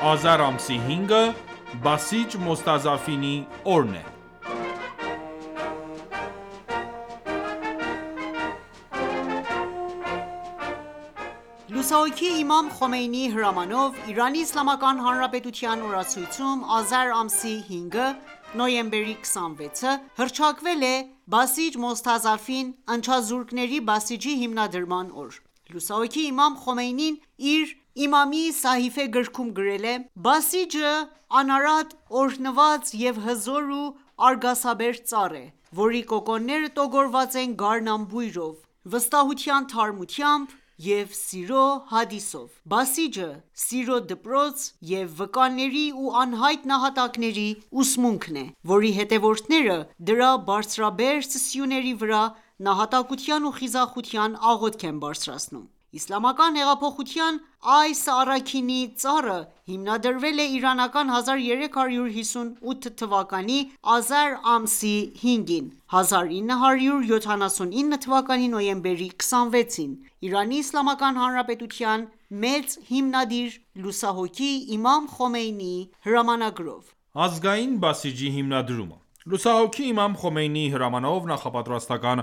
Ազար ամսի 5-ը Բասիջ Մոստազաֆինի օրն է։ Լուսահոգի Իմամ Խոմեյնիի հրամանով Իրանի Իսլամական Հանրապետության օրացույցում Ազար ամսի 5-ը նոյեմբերի 26-ը հռչակվել է Բասիջ Մոստազաֆին ընչազուրկների Բասիջի հիմնադրման օր։ Լուսահոգի Իմամ Խոմեյնին իր Իմամի Սահիֆե գրքում գրել է. «Բասիջը անարատ, օրհնված և հզոր ու արգասաբեր ծառ է, որի կոկոնները տոգորված են գարնան բույրով, վստահության թարմությամբ և սիրո հադիսով: Բասիջը սիրո դպրոց և վկաների ու անհայտ նահատակների ուսմունքն է, որի հետևորդները դրա բարձրաբերձ սյուների վրա նահատակության ու խիզախության աղոթք են բարձրացնում: Իսլամական հեղափոխության այս առաքինի ծառը հիմնադրվել է իրանական 1358 թվականի ազար ամսի 5-ին (1979 թվականի նոյեմբերի 26-ին) Իրանի Իսլամական Հանրապետության մեծ հիմնադիր լուսահոգի Իմամ Խոմեյնիի հրամանագրով»: Ազգային Բասիջի հիմնադրումը Լուսահոգի Իմամ Խոմեյնիի հրամանով նախապատրաստական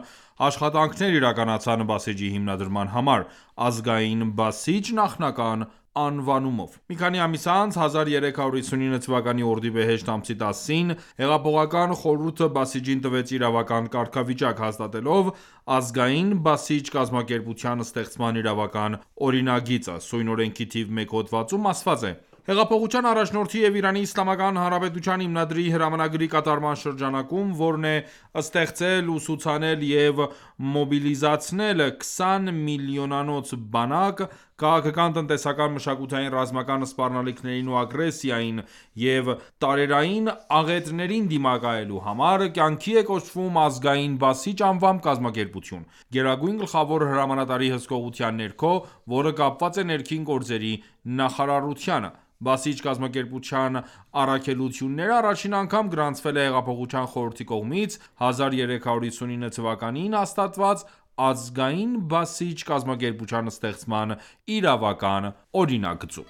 աշխատանքներ իրականացան Բասիջի հիմնադրման համար՝ Ազգային Բասիջ նախնական անվանումով: Մի քանի ամիս անց, 1359 թվականի օրդիբեհեշտ ամսի 10-ին, Հեղափոխական խորհուրդը Բասիջին տվեց իրավական կարգավիճակ՝ հաստատելով Ազգային Բասիջ կազմակերպության ստեղծման իրավական օրինագիծը: Սույն օրենքի թիվ 1 հոդվածում ասված է. «Հեղափոխության առաջնորդի և Իրանի Իսլամական Հանրապետության հիմնադրի հրամանագրի կատարման շրջանակում, որն է ստեղծել, ուսուցանել և մոբիլիզացնել 20 միլիոնանոց բանակ՝ քաղաքական, տնտեսական, մշակութային, ռազմական սպառնալիքներին ու ագրեսիային և տարերային աղետներին դիմակայելու համար, կյանքի է կոչվում Ազգային Բասիջ անվամբ կազմակերպություն՝ Գերագույն գլխավոր հրամանատարի հսկողության ներքո, որը կապված է ներքին գործերի նախարարությանը: Բասիջ կազմակերպության առաքելությունները առաջին անգամ գրանցվել է Հեղափոխության խորհրդի կողմից 1359 թվականին հաստատված Ազգային Բասիջ կազմակերպության ստեղծման իրավական օրինագծում»: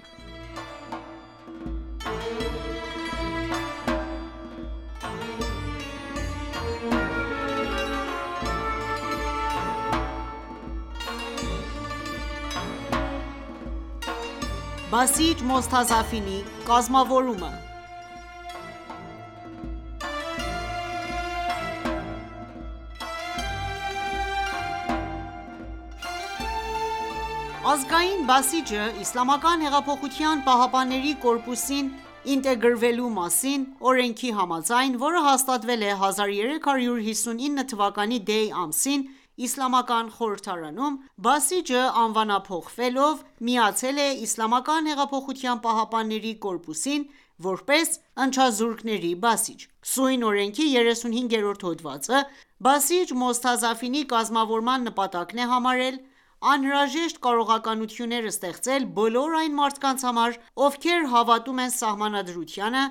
Բասիջ Մոստազաֆինի կազմավորումը Ազգային Բասիջը Իսլամական հեղափոխության պահապանների կորպուսին ինտեգրվելու մասին օրենքի համաձայն, որը հաստատվել է 1359 թվականի դեյ ամսին Իսլամական խորհրդարանում, Բասիջը անվանափոխվելով միացել է Իսլամական հեղափոխության պահապանների կորպուսին, որպես ընչազուրկների Բասիջ: Սույն օրենքի 35-րդ հոդվածը Բասիջ Մոստազաֆինի կազմավորման նպատակն է համարել անհրաժեշտ կարողություններ ստեղծել բոլոր այն մարդկանց համար, ովքեր հավատում են Սահմանադրությանը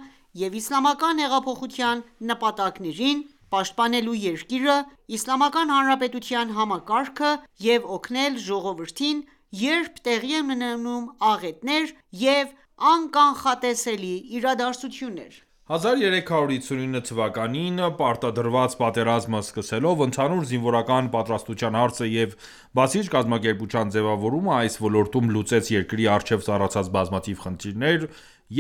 և իսլամական հեղափոխության նպատակներին, պաշտպանելու երկիրը, Իսլամական Հանրապետության համակարգը և օգնել ժողովրդին, երբ տեղի են ունենում աղետներ և անկանխատեսելի իրադարձություններ: 1359 թվականին պարտադրված պատերազմը սկսելով, ընդհանուր զինվորական պատրաստության հարցը և Բասիջ կազմակերպության ձևավորումը այս ոլորտում լուծեց երկրի առջև ծառացած բազմաթիվ խնդիրներ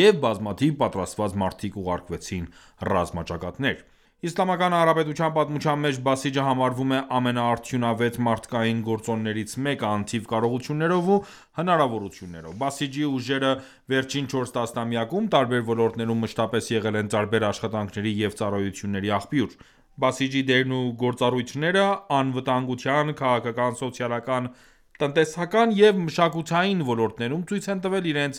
և բազմաթիվ պատրաստված մարդիկ ուղարկվեցին ռազմաճակատներ: Իսլամական Հանրապետության պատմության մեջ Բասիջը համարվում է ամենաարդյունավետ մարդկային գործոններից մեկը՝ անթիվ կարողություններով ու հնարավորություններով: Բասիջի ուժերը վերջին 4 տասնամյակում տարբեր ոլորտներում մշտապես եղել են տարբեր աշխատանքների և ծառայությունների աղբյուր: Բասիջի դերն ու գործառույթները անվտանգության, քաղաքական, սոցիալական, տնտեսական և մշակութային ոլորտներում ցույց են տվել իրենց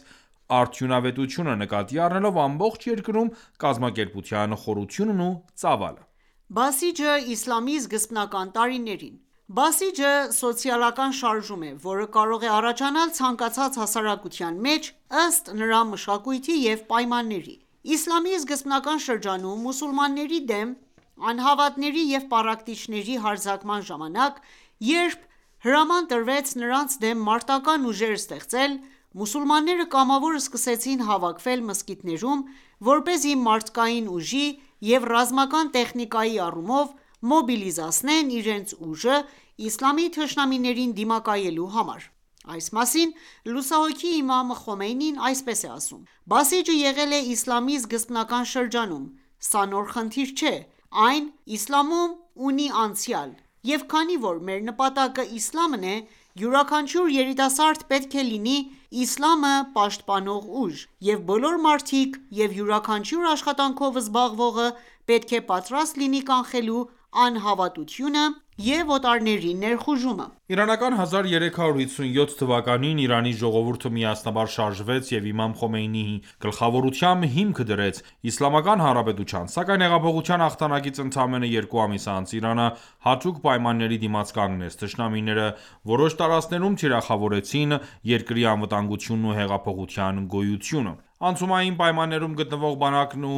արդյունավետությունը՝ նկատի առնելով ամբողջ երկրում կազմակերպության խորությունն ու ծավալը: Բասիջը իսլամի սկզբնական տարիներին Բասիջը սոցիալական շարժում է, որը կարող է առաջանալ ցանկացած հասարակության մեջ՝ ըստ նրա մշակույթի և պայմանների: Իսլամի սկզբնական շրջանում մուսուլմանների դեմ անհավատների և պառակտիչների հարձակման ժամանակ, երբ հրաման տրվեց նրանց դեմ մարտական ուժեր ստեղծել, մուսուլմանները կամավոր սկսեցին հավաքվել մզկիթներում, որպեսզի մարդկային ուժի և ռազմական տեխնիկայի առումով մոբիլիզացնեն իրենց ուժը իսլամի թշնամիներին դիմակայելու համար: Այս մասին լուսահոգի Իմամ Խոմեյնին այսպես է ասում. «Բասիջը եղել է իսլամի սկզբնական շրջանում: Սա նոր խնդիր չէ: Այն իսլամում ունի անցյալ: Եվ քանի որ մեր նպատակը իսլամն է, յուրաքանչյուր երիտասարդ պետք է լինի իսլամը պաշտպանող ուժ, և բոլոր մարդիկ և յուրաքանչյուր աշխատանքով զբաղվողը պետք է պատրաստ լինի կանխելու անհավատությունը և օտարների ներխուժումը»: Իրանական 1357 թվականին Իրանի ժողովուրդը միասնաբար շարժվեց և իմամ Խոմեյնիի գլխավորությամբ հիմքը դրեց Իսլամական Հանրապետության: Սակայն հեղափոխության հաղթանակից ընդամենը 2 ամիս անց Իրանը հատուկ պայմանների դիմաց կանգնեց: Թշնամիները որոշ տարածքներում թիրախավորեցին երկրի անվտանգությունն ու հեղափոխության գոյությունը: Անցումային պայմաններում գտնվող բանակն ու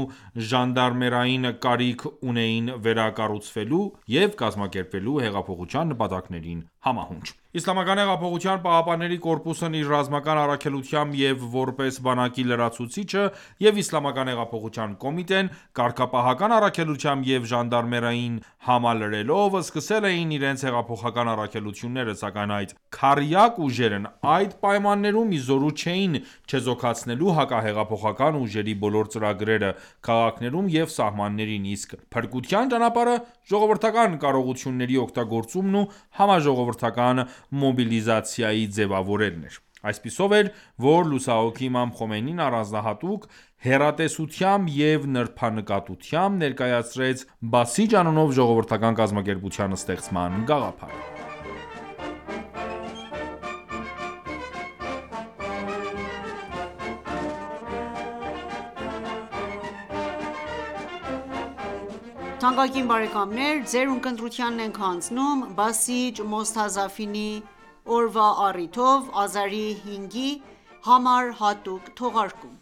ժանդարմերային կարիք ունեին վերակառուցվելու և կազմակերպվելու հեղափոխության նպատակներին համահունչ: ԻՀՊԿ-ն իր ռազմական առաքելությամբ և որպես բանակի լրացուցիչը և Իսլամական հեղափոխության կոմիտեն կարգապահական առաքելությամբ և ժանդարմերիային համալրելով սկսել էին իրենց հեղափոխական առաքելությունները, սակայն այդ քառյակ ուժերն այդ պայմաններում ի զորու չէին չեզոքացնելու հակահեղափոխական ուժերի բոլոր ծրագրերը քաղաքներում և սահմաններին, իսկ փրկության ճանապարհը ժողովրդական կարողությունների օգտագործումն ու համաժողովրդական մոբիլիզացիայի ձևավորելն էր: Այսպիսով էր, որ լուսահոգի Իմամ Խոմեյնին առանձնահատուկ հեռատեսությամբ և նրբանկատությամբ ներկայացրեց «Բասիջ» անունով ժողովրդական կազմակերպության ստեղծման գաղափարը: «Բասիջ Մոստազաֆինի օրվա առիթով Ազարի 5-ի համար հատուկ թողարկում»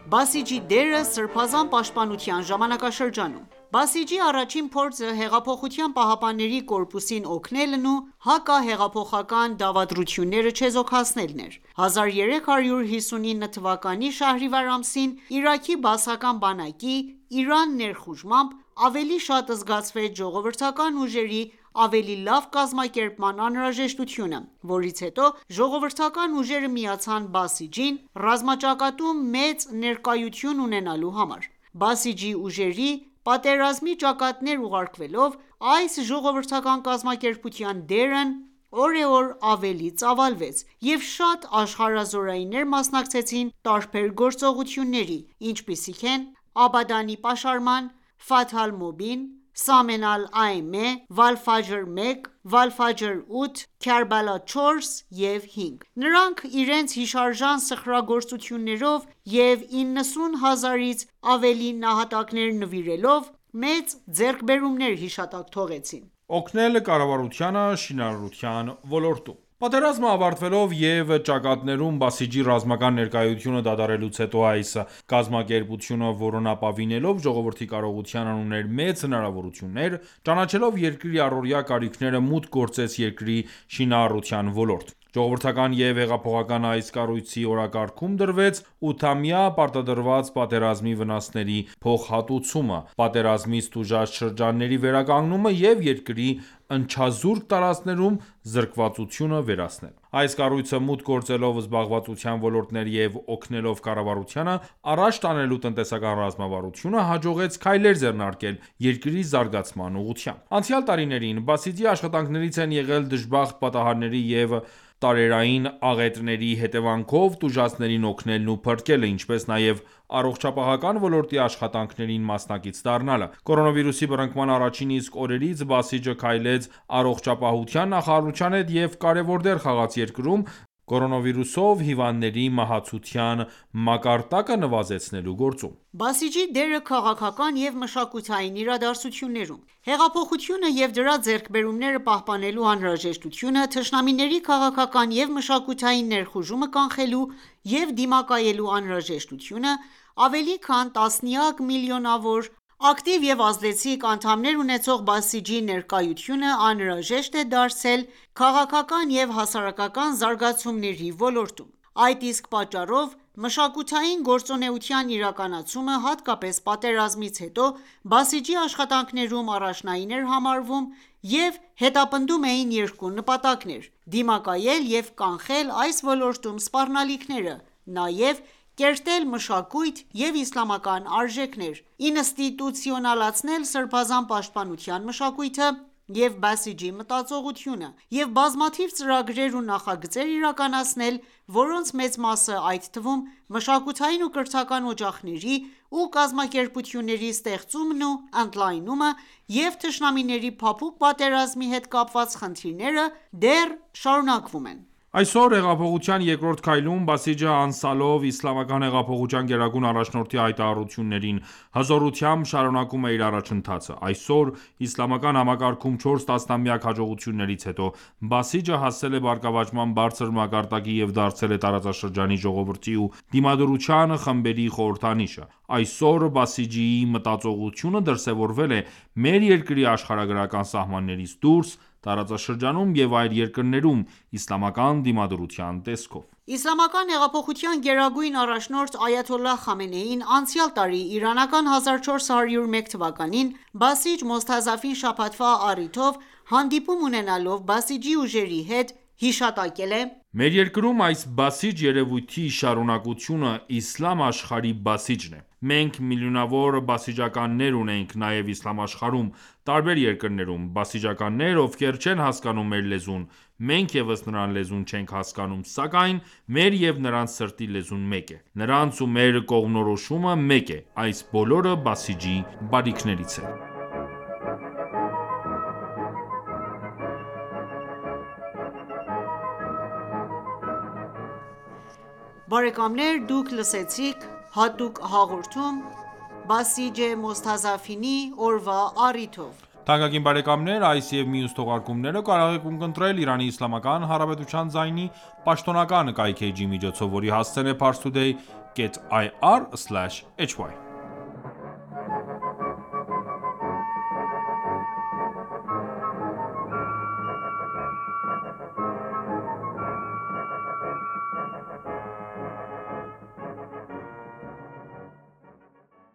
Բասիջի դերը սրբազան պաշտպանության ժամանակաշրջանում Բասիջի առաջին փորձը Հեղափոխության պահապանների կորպուսին օգնելն ու հակահեղափոխական դավադրությունները չեզոքացնելն էր: 1359 թվականի շահրիվար ամսին Իրաքի բաասական բանակի Իրան ներխուժմամբ ավելի շատ զգացվեց ժողովրդական ուժերի ավելի լավ կազմակերպման անհրաժեշտությունը, որից հետո ժողովրդական ուժերը միացան Բասիջին ռազմաճակատում մեծ ներկայություն ունենալու համար: Բասիջի ուժերի պատերազմի ճակատներ ուղարկվելով այս ժողովրդական կազմակերպության դերն օրեօր ավելի ծավալվեց և շատ աշխարհազորայիններ մասնակցեցին տարբեր գործողությունների, ինչպիսիք են Աբադանի պաշարման, Ֆաթհ Ալ-Մուբին, Սամեն Ալ-Աիմե, Վալ-Ֆաջր 1, Վալ-Ֆաջր 8, Քարբալա 4 և 5: Նրանք իրենց հիշարժան սխրագործություններով և 90 հազարից ավելի նահատակներ նվիրելով մեծ ձեռքբերումներ հիշատակ թողեցին: Օգնել կառավարությանը շինարարության ոլորտում Պատերազմը ավարտվելով և ճակատներում Բասիջի ռազմական ներկայությունը դադարելուց հետո այս կազմակերպությունը որոնապավինելով ժողովրդի կարողությանն ուներ մեծ հնարավորություններ: Ճանաչելով երկրի առօրյա կարիքները մուտք գործեց երկրի շինարարության ոլորտ: Ժողովրդական և հեղափոխական այս կառույցի օրակարգում դրվեց 8-ամյա պարտադրված պատերազմի վնասների փոխհատուցումը, պատերազմից տուժած շրջանների վերականգնումը և երկրի ընչազուրկ տարածքներում զրկվածությունը վերացնելը: Այս կառույցը մուտք գործելով զբաղվածության ոլորտներ և օգնելով կառավարությանը առաջ տանելու տնտեսական ռազմավարությունը, հաջողեց քայլեր ձեռնարկել երկրի զարգացման ուղղությամբ: Անցյալ տարիներին Բասիջի աշխատանքներից են եղել դժբախտ պատահարների և տարերային աղետների հետևանքով տուժածներին օգնելն ու փրկելը, ինչպես նաև առողջապահական ոլորտի աշխատանքներին մասնակից դառնալը: Կորոնավիրուսի բռնկման առաջին իսկ օրերից Բասիջը քայլեց առողջապահության նախարարության հետ և կարևոր դեր խաղաց երկրում կորոնավիրուսով հիվանդների մահացության մակարդակը նվազեցնելու գործում։ Բասիջի դերը քաղաքական և մշակութային իրադարձություններում Հեղափոխությունը և դրա ձեռքբերումները պահպանելու անհրաժեշտությունը, թշնամիների քաղաքական և մշակութային ներխուժումը կանխելու և դիմակայելու անհրաժեշտությունը, ավելի քան տասնյակ միլիոնավոր ակտիվ և ազդեցիկ անդամներ ունեցող Բասիջի ներկայությունը անհրաժեշտ է դարձել քաղաքական և հասարակական զարգացումների ոլորտում: Այդ իսկ պատճառով մշակութային գործունեության իրականացումը, հատկապես պատերազմից հետո, Բասիջի աշխատանքներում առաջնային էր համարվում և հետապնդում էին երկու նպատակներ՝ դիմակայել և կանխել այս ոլորտում սպառնալիքները, նաև կերտել մշակույթ և իսլամական արժեքներ, ինստիտուցիոնալացնել սրբազան պաշտպանության մշակույթը և Բասիջի մտածողությունը և բազմաթիվ ծրագրեր ու նախագծեր իրականացնել, որոնց մեծ մասը, այդ թվում՝ մշակութային ու կրթական օջախների ու կազմակերպությունների ստեղծումն ու ընդլայնումը և թշնամիների փափուկ պատերազմի հետ կապված խնդիրները, դեռ շարունակվում են: Այսօր, հեղափոխության երկրորդ քայլում, Բասիջը անցյալով Իսլամական հեղափոխության գերագույն առաջնորդի հայտարարություններին, հզորությամբ շարունակում է իր առաջընթացը: Այսօր, իսլամական համակարգում 4 տասնամյակ հաջողություններից հետո, Բասիջը հասել է բարգավաճման բարձր մակարդակի և դարձել է տարածաշրջանի ժողովրդի ու դիմադրության խմբերի խորհրդանիշը: Այսօր Բասիջիի մտածողությունը դրսևորվել է մեր երկրի աշխարհագրական սահմաններից դուրս, տարածաշրջանում և այլ երկրներում, իսլամական դիմադրության տեսքով: Իսլամական հեղափոխության գերագույն առաջնորդ Այաթոլլահ Խամենեին անցյալ տարի իրանական 1401 թվականին Բասիջ Մոստազաֆին շաբաթվա առիթով հանդիպում ունենալով Բասիջի ուժերի հետ հիշատակել է. «Մեր երկրում այս Բասիջ երևույթի շարունակությունը իսլամ աշխարհի Բասիջն է: Մենք միլիոնավոր բասիջականներ ունենք նաև իսլամ աշխարհում, տարբեր երկրներում: Բասիջիականներ, ովքեր չեն հասկանում մեր լեզուն, մենք ևս նրանց լեզուն չենք հասկանում, սակայն մեր և նրանց սրտի լեզուն մեկ է: Նրանց ու մեր կողմնորոշումը մեկ է: Այս բոլորը Բասիջի բարիքներից են»: Բարեկամներ դուք լսեցիք հատուկ հաղորդում Բասիջ Մոստազաֆինի օրվա առիթով: Թանկագին բարեկամներ այս և մյուս թողարկումները կարող եք ունկնդրել IsraElSi ձայնի պաշտոնական կայքէջի միջոցով, որի հասցեն է՝ parstoday.ir/hy